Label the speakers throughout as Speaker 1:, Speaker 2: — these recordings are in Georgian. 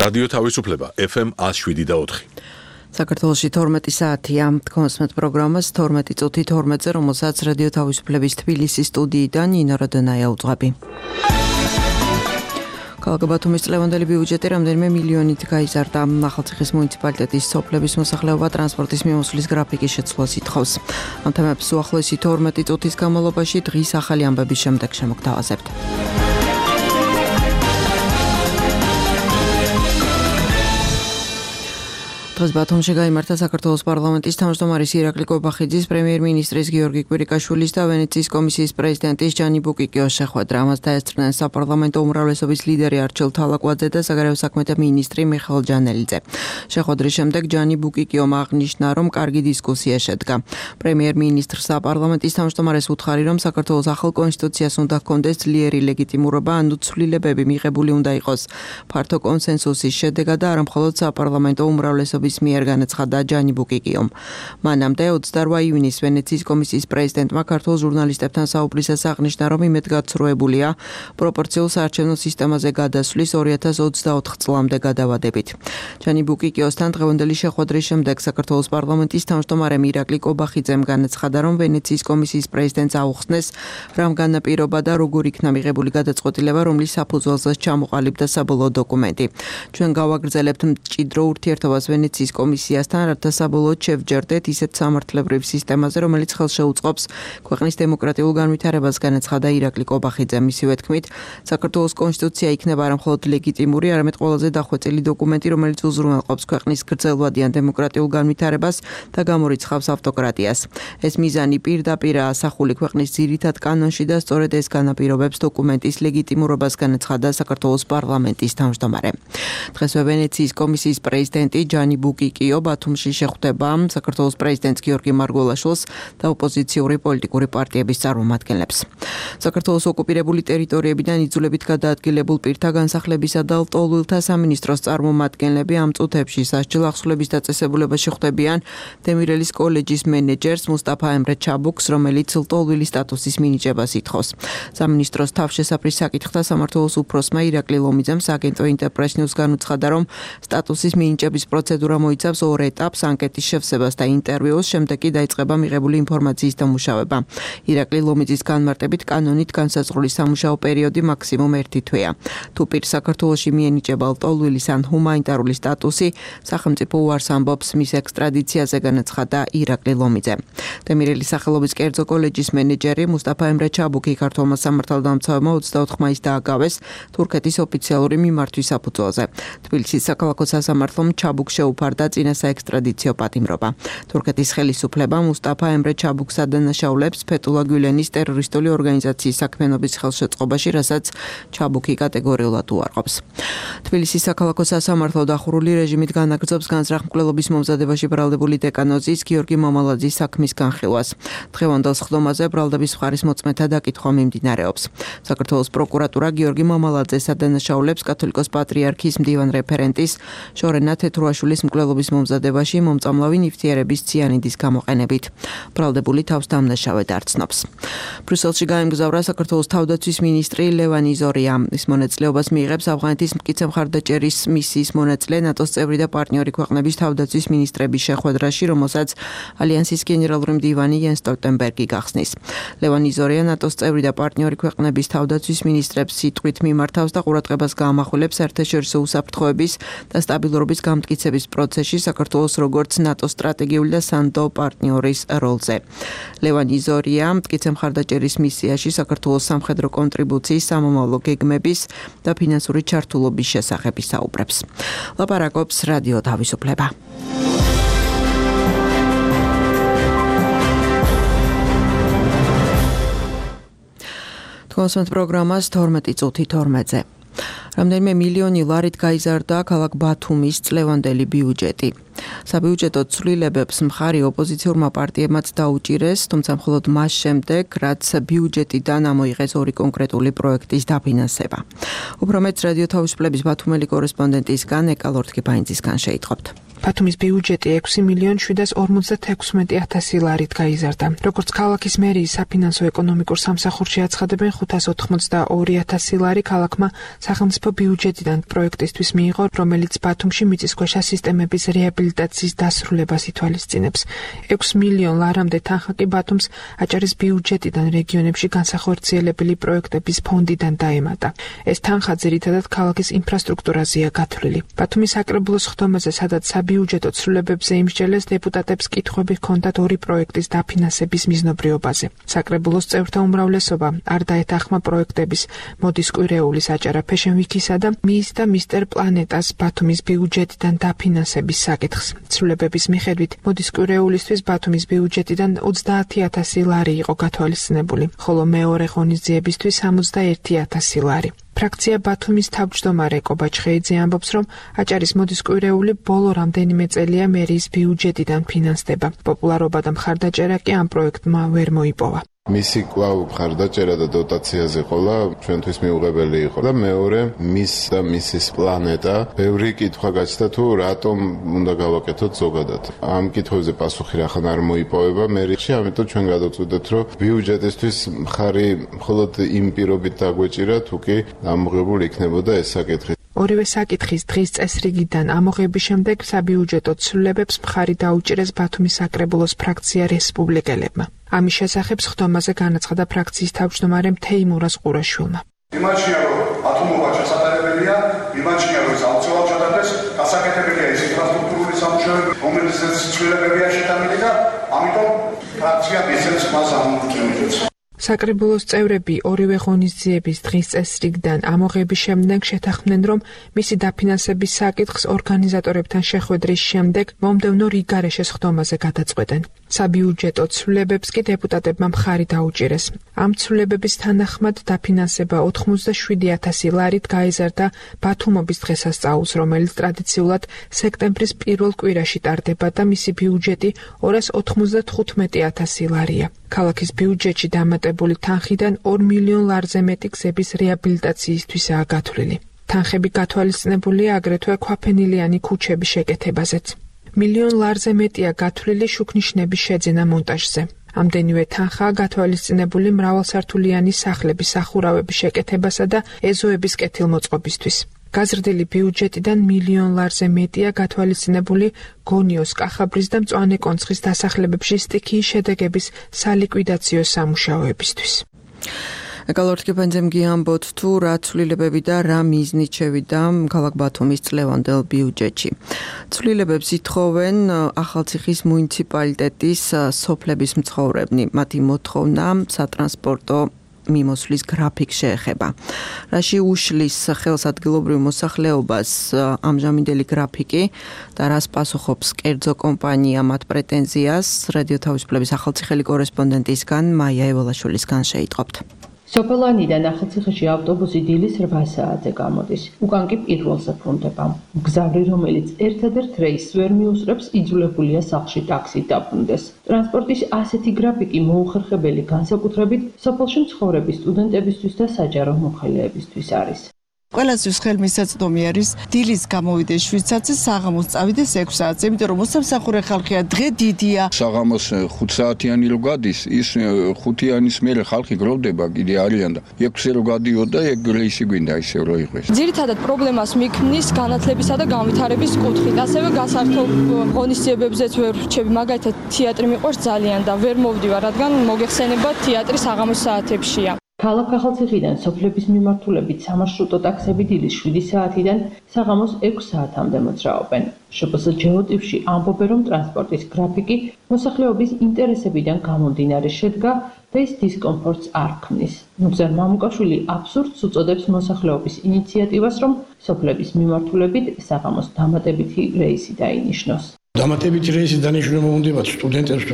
Speaker 1: რადიო თავისუფლება FM 107.4.
Speaker 2: საქართველოში 12 საათია. კონსმეთ პროგრამას 12 წუთი 12-ზე, რომელსაც რადიო თავისუფლების თბილისის სტუდიიდან ნინო როდონაია უძღვები. ქალაქ ბათუმის წლევანდელი ბიუჯეტი რამდენიმე მილიონით გაიზარდა. ახალციხის მუნიციპალიტეტის სოფლების მოსახლეობა ტრანსპორტის მიმოსვლის გრაფიკის შეცვლას ითხოვს. ამ თემებს უახლოესი 12 წუთის განმავლობაში დღის ახალი ამბების შემდეგ შემოგთავაზებთ. დღეს ბათუმში გაიმართა საქართველოს პარლამენტის თავმჯდომარის ირაკლი კობახიძის, პრემიერ-მინისტრის გიორგი კვირიკაშვილის და ვენეციის კომისიის პრეზიდენტის ჯანი ბუკიკიოს შეხვედრა. ამას დაესწრნენ საპარლამენტო უმრავლესობის ლიდერი არჩილ თალაკვაძე და საგარეო საქმეთა მინისტრი მიხეილ ჯანელიძე. შეხვედრის შემდეგ ჯანი ბუკიკიომ აღნიშნა, რომ კარგი დისკუსია შედგა. პრემიერ-მინისტრს საპარლამენტის თავმჯდომარეს უთხარი, რომ საქართველოს ახალ კონსტიტუციას უნდა ჰქონდეს ძლიერი ლეგიტიმურობა, ანუ ცვლილებები მიღებული უნდა იყოს ფართო კონსენსუსის შედეგად და არა მხოლოდ საპარლამენტო უმრავლესობის მიერ განაცხადა ჯანი ბუკიკიომ. მანამდე 28 ივნისს ვენეციის კომისიის პრეზიდენტმა ქართულ ჟურნალისტებთან საუბრისას აღნიშნა, რომ იმედგაცრუებულია პროპორციულ საარჩევნო სისტემაზე გადასვლის 2024 წლამდე გადავადებით. ჯანი ბუკიკიოსთან დღევანდელი შეხვედრის შემდეგ საქართველოს პარლამენტის თავმჯდომარემ ირაკლი კობახიძემ განაცხადა, რომ ვენეციის კომისიის პრეზიდენტს აუხსნეს რამ განაპირობა და როგორ იქნა მიღებული გადაწყვეტილება, რომლის საფუძველზეც ჩამოყალიბდა საბოლოო დოკუმენტი. ჩვენ გავაგრძელებთ მჭიდრო ურთიერთობას ვენეციის კომისიასთან, რათა საბოლოოდ შევჯერდეთ ისეთ სამართლებრივ სისტემაზე, რომელიც ხელშეუწყობს ქვეყნის დემოკრატიულ განვითარებას, განაცხადა ირაკლი კობახიძე. მისივე თქმით, საქართველოს კონსტიტუცია იქნება არა მხოლოდ ლეგიტიმური, არამედ ყველაზე დახვეწილი დოკუმენტი, რომელიც უზრუნველყოფს ქვეყნის გრძელვადიან დემოკრატიულ განვითარებას და გამორიცხავს ავტოკრატიას. ეს მიზანი პირდაპირ ასახული ქვეყნის ძირითად კანონში და სწორედ ეს განაპირობებს დოკუმენტის ლეგიტიმურობას, განაცხადა საქართველოს პარლამენტის თავმჯდომარე. დღესვე ვენეციის კომისიის პრეზიდენტი ჯანი ბუკიკიო ბათუმში შეხვდება საქართველოს პრეზიდენტს გიორგი მარგველაშვილს და ოპოზიციური პოლიტიკური პარტიების წარმომადგენლებს. საქართველოს ოკუპირებული ტერიტორიებიდან იძულებით გადაადგილებულ პირთა განსახლებისა და ლტოლვილთა სამინისტროს წარმომადგენლები ამ წუთებში სასჯელ ახსნების დაწესებულებაში ხვდებიან დემირელის კოლეჯის მენეჯერს მუსტაფა ემრე ჩაბუქს, რომელიც ლტოლვილის სტატუსის მინიჭებას ითხოვს. სამინისტროს თავშესაფრის საკითხთა სამმართველოს უფროსმა ირაკლი ლომიძემ სააგენტო ინტერპრეს ნიუს განუცხადა, რომ სტატუსის მინიჭების პროცედურა მოიცავს ორ ეტაპს, ანკეტის შევსებას და ინტერვიუს, შემდეგ კი დაიწყება მიღებული ინფორმაციის დამუშავება. ირაკლი ლომიძის განმარტებით კანონით განსაზღვრული სამუშაო პერიოდი მაქსიმუმ 1 თვეა. თუ პირ საქართველოში მიენიჭება ლტოლვილის ან ჰუმანიტარული სტატუსი, სახელმწიფო უარს ამბობს მის ექსტრადიციაზე, განაცხადა ირაკლი ლომიძე. დემირელის სახელობის კერძო კოლეჯის მენეჯერი მუსტაფა ემრე ჩაბუქი ქართველმა სამართალდამცავებმა 24 მაისს დააგავეს თურქეთის ოფიციალური მიმართვის საფუძველზე. თბილისის საქალაქო სასამართლომ ჩაბუქს შეუფარდა წინა საექსტრადიციო პატიმრობა. თურქეთის ხელისუფლებამ მუსტაფა ემრე ჩაბუქს ადანაშაულებს ფეთულა გულენის ტერორისტული ორგანიზაციის საქმიანობის ხელშეწყობაში, რასაც ჩაბუქი კატეგორიულად უარყოფს. თბილისის საქალაქო სასამართლო დახურული რეჟიმით განაგრძობს განზრახ-მკვლელობის მომზადებაში ბრალდებული დეკანოზის გიორგი მამალაძის საქმის განხილვას. დღევანდელ სხდომაზე ბრალდების მხარის მოწმეთა დაკითხვა მიმდინარეობს. საქართველოს პროკურატურა გიორგი მამალაძეს ადანაშაულებს კათოლიკოს პატრიარქის მდივან რეფერენტის შორენა თეთრუაშვილის მკვლელობის მომზადებაში მომწამლავი ნივთიერების ციანიდის გამოყენებით. ბრალდებული თავს დამნაშავედ არ ცნობს. ბრიუსელში გაემგზავრა საქართველოს თავდაცვის მინისტრი ლევან იზორია. ის მონაწილეობას მიიღებს ავღანეთის მტკიცე მხარდაჭერის მისიის მონაწილე ნატოს წევრი და პარტნიორი ქვეყნების თავდაცვის მინისტრების შეხვედრაში, რომელსაც ალიანსის გენერალური მდივანი იენს სტოლტენბერგი გახსნის. ლევან იზორია ნატოს წევრი და პარტნიორი ქვეყნების თავდაცვის მინისტრებს სიტყვით მიმართავს და ყურადღებას გაამახვილებს საერთაშორისო უსაფრთხოების და სტაბილურობის გამტკიცების პროცესში საქართველოს როგორც ნატოს სტრატეგიული და სანდო პარტნიორის როლზე. ლევან იზორია მტკიცე მხარდაჭერის მისიაში საქართველოს სამხედრო კონტრიბუციის, სამომავლო გეგმების და ფინანსური ჩართულობის შესახებ ისაუბრებს. ლაპარაკობს რადიო თავისუფლება. კონსმეთ პროგრამას 12 წუთი 12-ზე. რამდენიმე მილიონი ლარით გაიზარდა ქალაქ ბათუმის წლევანდელი ბიუჯეტი. საბიუჯეტო ცვლილებებს მხარი ოპოზიციურმა პარტიებმაც დაუჭირეს, თუმცა მხოლოდ მას შემდეგ, რაც ბიუჯეტიდან ამოიღეს ორი კონკრეტული პროექტის დაფინანსება. უფრო მეტს რადიო თავისუფლების ბათუმელი კორესპონდენტისგან ეკალორთკიბაინძისგან შეიტყობთ.
Speaker 3: ბათუმის ბიუჯეტი 6,716,000 ლარით გაიზარდა. როგორც ქალაქის მერიის საფინანსო ეკონომიკურ სამსახურში აცხადებენ, 582,000 ლარი ქალაქმა სახელმწიფო ბიუჯეტიდან პროექტისთვის მიიღო, რომელიც ბათუმში მიწისქვეშა სისტემების რეაბილიტაციის დასრულებას ითვალისწინებს. 6 მილიონ ლარამდე თანხა კი ბათუმს აჭარის ბიუჯეტიდან რეგიონებში განსახორციელებელი პროექტების ფონდიდან დაემატა. ეს თანხა ძირითადად ქალაქის ინფრასტრუქტურაზეა გათვლილი. ბათუმის საკრებულოს ხდომაზე, სადაც საბიუჯეტო ცვლილებებზე იმსჯელეს, დეპუტატებს კითხვები ჰქონდათ ორი პროექტის დაფინანსების მიზნობრიობაზე. საკრებულოს წევრთა უმრავლესობა არ დაეთანხმა პროექტების მოდის კვირეულის აჭარა Fashion Week-ისა და მის და მისტერ პლანეტას ბათუმის ბიუჯეტიდან დაფინანსების საკითხს. ცვლილებების მიხედვით, მოდის კვირეულისთვის ბათუმის ბიუჯეტიდან 30,000 ლარი იყო გათვალისწინებული, ხოლო მეორე ღონისძიებისთვის 61,000 ლარი. ფრაქცია ბათუმის თავმჯდომარე კობა ჩხეიძე ამბობს, რომ აჭარის მოდის კვირეული ბოლო რამდენიმე წელია მერიის ბიუჯეტიდან ფინანსდება. პოპულარობა და მხარდაჭერა კი ამ პროექტმა ვერ მოიპოვა.
Speaker 4: მისი კვლავ მხარდაჭერა და დოტაციაზე ყოლა ჩვენთვის მიუღებელი იყო და მეორე მის და მისის პლანეტა ბევრი კითხვა გაჩნდა თუ რატომ უნდა გავაკეთოთ ზოგადად. ამ კითხვებზე პასუხი რახან არ მოიპოვება მერიაში, ამიტომ ჩვენ გადავწყვიტეთ, რომ ბიუჯეტისთვის მხარი მხოლოდ იმ პირობით დაგვეჭირა, თუ კი ამოღებული იქნებოდა ეს საკითხი.
Speaker 3: ორივე საკითხის დღის წესრიგიდან ამოღების შემდეგ საბიუჯეტო ცვლილებებს მხარი დაუჭირეს ბათუმის საკრებულოს ფრაქცია რესპუბლიკელებმა. ამის შესახებ ხდომაზე განაცხადა ფრაქციის თავმჯდომარემ თეიმურაზ ყურაშვილმა.
Speaker 5: იმაჩნია, რომ ათუმობა ჩასატარებელია, იმაჩნია, რომ ეს აუცილებლად ჩატარდეს, გასაკეთებელია ეს ინფრასტრუქტურული სამუშაოები, რომელზეც ცვლილებებია შეტანილი და ამიტომ ფრაქცია მისცემს მას ამოწმებებს.
Speaker 3: საკრებულოს წევრები ორივე ღონისძიების დღის წესრიგიდან ამოღების შემდეგ შეთანხმდნენ, რომ მისი დაფინანსების საკითხს ორგანიზატორებთან შეხვედრის შემდეგ მომდევნო რიგარეშეს ხდომაზე გადაწყვეტენ. საბიუჯეტო ცვლილებებს კი დეპუტატებმა მხარი დაუჭირეს. ამ ცვლილებების თანახმად დაფინანსება 87,000 ლარით გაიზარდა ბათუმობის დღესასწაულს, რომელიც ტრადიციულად სექტემბრის პირველ კვირაში ტარდება და მისი ბიუჯეტი 295,000 ლარია. ქალაქის ბიუჯეტში დამატებული თანხიდან 2 მილიონ ლარზე მეტი გზების რეაბილიტაციისთვისაა გათვლილი. თანხები გათვალისწინებულია აგრეთვე ქვაფენილიანი ქუჩების შეკეთებაზეც. მილიონ ლარზე მეტია გათვლილი შუქნიშნების შეძენა მონტაჟზე. ამდენივე თანხაა გათვალისწინებული მრავალსართულიანი სახლების სახურავების შეკეთებასა და ეზოების კეთილმოწყობისთვის. გაზრდილი ბიუჯეტიდან მილიონ ლარზე მეტია გათვალისწინებული გონიოს, კახაბრის და მწვანე კონცხის დასახლებებში სტიქიის შედეგების სალიკვიდაციო სამუშაოებისთვის.
Speaker 2: ეკალორთკიბაინძემ გიამბობთ თუ რა ცვლილებები და რა მიზნით შევიდა ქალაქ ბათუმის წლევანდელ ბიუჯეტში. ცვლილებებს ითხოვენ ახალციხის მუნიციპალიტეტის სოფლების მცხოვრებნი. მათი მოთხოვნა სატრანსპორტო მიმოსვლის გრაფიკს შეეხება. რაში უშლის ხელს ადგილობრივ მოსახლეობას ამჟამინდელი გრაფიკი და რას პასუხობს კერძო კომპანია მათ პრეტენზიას, რადიო თავისუფლების ახალციხელი კორესპონდენტისგან მაია ევალაშვილისგან შეიტყობთ.
Speaker 6: სოფელანიდან ახალციხეში ავტობუსი დილის 8 საათზე გამოდის. უკან კი პირველზე ბრუნდება. მგზავრი, რომელიც ერთადერთ რეისს ვერ მიუსწრებს, იძულებულია სახლში ტაქსით დაბრუნდეს. ტრანსპორტის ასეთი გრაფიკი მოუხერხებელი განსაკუთრებით სოფელში მცხოვრები სტუდენტებისთვის და საჯარო მოხელეებისთვის არის.
Speaker 7: ყველასთვის ხელმისაწვდომი არის დილის გამოვიდეს 7 საათზე, საღამოს წავიდეს 6 საათზე, იმიტომ რომ მოსამსახურე ხალხია, დღე დიდია.
Speaker 8: საღამოს 5 საათიანი რო გადის, ის 5-იანის მერე ხალხი გროვდება, კიდე არიან და 6-ზე რო გადიოდა, ეგ რეისი გვინდა ისევ რო იყოს.
Speaker 9: ძირითადად პრობლემას მიქმნის განათლებისა და განვითარების კუთხით. ასევე გასართობ ღონისძიებებზეც ვერ ვრჩები, მაგალითად თეატრი მიყვარს ძალიან და ვერ მოვდივარ, რადგან მოგეხსენება თეატრი საღამოს საათებშია.
Speaker 6: ქალაქ ახალციხიდან სოფლების მიმართულებით სამარშრუტო ტაქსები დილის 7 საათიდან საღამოს 6 საათამდე მოძრაობენ. შპს ჯეოტიპში ამბობენ, რომ ტრანსპორტის გრაფიკი მოსახლეობის ინტერესებიდან გამომდინარე შედგა და ის დისკომფორტს არ ქმნის. ნუგზარ მამუკაშვილი აბსურდს უწოდებს მოსახლეობის ინიციატივას, რომ სოფლების მიმართულებით საღამოს დამატებითი რეისი დაინიშნოს.
Speaker 10: დამატებითი რეისი დანიშნულება მომუნდებათ სტუდენტებს,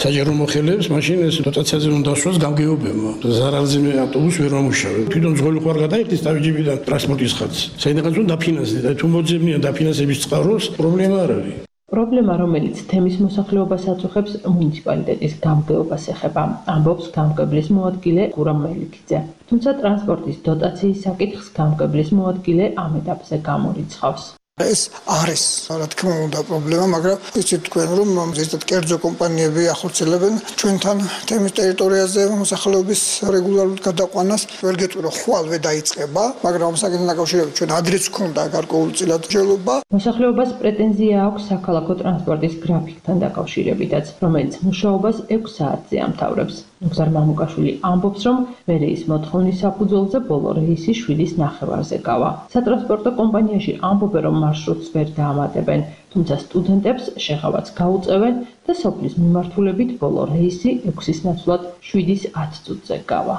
Speaker 10: საჯარო მოხელეებს, მაშინ ეს დოტაციაზე უნდა დასვას გამგეობებმა. ზარალზე ავტობუსი ვერ მომუშავე. თვითონ ძღოლი ხوار გადაიხდის თავჯიბიდან ტრანსპორტის ხაზს. საიდანაც უნდა დაფინანსდეს და თუ მოძებნიან დაფინანსების წყაროს, პრობლემა არ არის.
Speaker 6: პრობლემა, რომელიც თემის მოსახლეობას აწუხებს, მუნიციპალიტეტის გამგეობას ეხება, ამბობს გამგებლის მოადგილე გურამ მელიქიძე. თუმცა ტრანსპორტის დოტაციის საკითხს გამგებლის მოადგილე ამ ეტაპზე გამორიცხავს.
Speaker 11: ეს არის, რა თქმა უნდა, პრობლემა, მაგრამ იცით თქვენ, რომ ზუსტად კერძო კომპანიები ახორციელებენ ჩვენთან თემის ტერიტორიაზე მოსახლეობის რეგულარულ გადაყვანას. ვერ გეტყვი, რომ ხვალვე დაიწყება, მაგრამ ამ საკითხთან დაკავშირებით ჩვენ ადრეც გვქონდა გარკვეულწილად მსჯელობა.
Speaker 6: მოსახლეობას პრეტენზია აქვს საქალაქო ტრანსპორტის გრაფიკთან დაკავშირებითაც, რომელიც მუშაობას 6 საათზე ამთავრებს. ნუგზარ მამუკაშვილი ამბობს, რომ მერეის მოთხოვნის საფუძველზე ბოლო რეისი 7:30-ზე გავა. სატრანსპორტო კომპანიაში ამბობენ, რომ მარშრუტს ვერ დაამატებენ, თუმცა სტუდენტებს შეღავაც გაუწევენ და სოფლის მიმართულებით ბოლო რეისი 6-ის ნაცვლად 7:10 წუთზე გავა.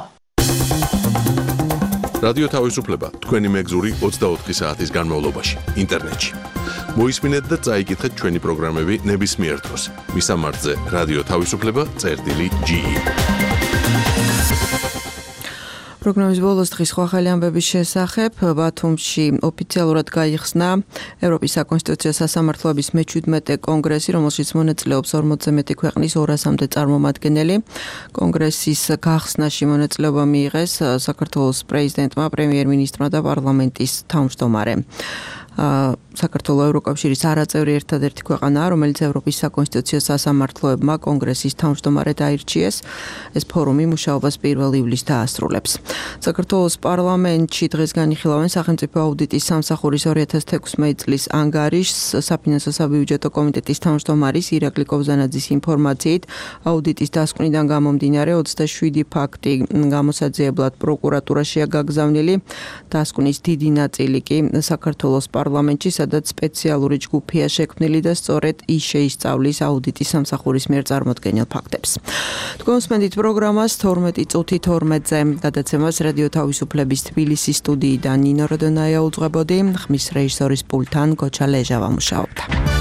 Speaker 1: რადიო თავისუფლება თქვენი მეგზური 24 საათის განმავლობაში ინტერნეტში. მოისმინეთ და წაიკითხეთ ჩვენი პროგრამები ნებისმიერ დროს. მისამართზე რადიო თავისუფლება.ge
Speaker 2: პროგრამის ბოლოს დღის ხვალ ამბების შესახებ ბათუმში ოფიციალურად გაიხსნა ევროპის საკონსტიტუციო სასამართლოების მე-17 კონგრესი, რომელშიც მონაწილეობს 40-ზე მეტი ქვეყნის 200-მდე წარმომადგენელი. კონგრესის გახსნაში მონაწილეობა მიიღეს საქართველოს პრეზიდენტმა, პრემიერ-მინისტრმა და პარლამენტის თავმჯდომარემ. საქართველოს ევროკავშირის არაწევრი ერთადერთი ქვეყანაა, რომელიც ევროპის საკონსტიტუციო სასამართლოებმა კონგრესის თავმჯდომარედ აირჩიეს. ეს ფორუმი მუშაობას 1 ივლისს დაასრულებს. საქართველოს პარლამენტში დღეს განიხილავენ სახელმწიფო აუდიტის სამსახურის 2016 წლის ანგარიშს. საფინანსო საბიუჯეტო კომიტეტის თავმჯდომარის ირაკლი კობზანაძის ინფორმაციით, აუდიტის დასკვნიდან გამომდინარე 27 ფაქტი გამოსაძიებლად პროკურატურაშია გაგზავნილი. დასკვნის დიდი ნაწილი კი საქართველოს პარლამენტში, სადაც სპეციალური ჯგუფია შექმნილი და სწორედ ის შეისწავლის აუდიტის სამსახურის მიერ წარმოდგენილ ფაქტებს. თქვენ უსმენთ პროგრამას 12 წუთი 12-ზე. გადაცემას რადიო თავისუფლების თბილისის სტუდიიდან ნინო როდონაია უძღვებოდი, ხმის რეჟისორის პულტთან გოჩა ლეჟავა მუშაობდა.